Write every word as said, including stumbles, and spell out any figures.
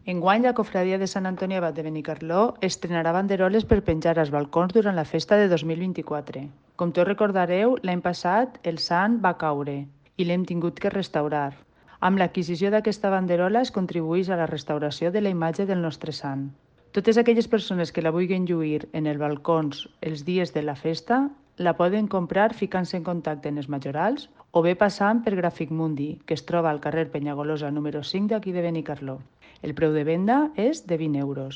Enguany, la cofradia de Sant Antoni Abat de Benicarló estrenarà banderoles per penjar als balcons durant la festa de dos mil vint-i-quatre. Com tots recordareu, l'any passat el sant va caure i l'hem tingut que restaurar. Amb l'adquisició d'aquesta banderola es contribueix a la restauració de la imatge del nostre sant. Totes aquelles persones que la vulguin lluir en els balcons els dies de la festa la poden comprar ficant-se en contacte amb els majorals o bé passant per Gràfic Mundi, que es troba al carrer Penyagolosa número cinc d'aquí de Benicarló. El preu de venda és de vint euros.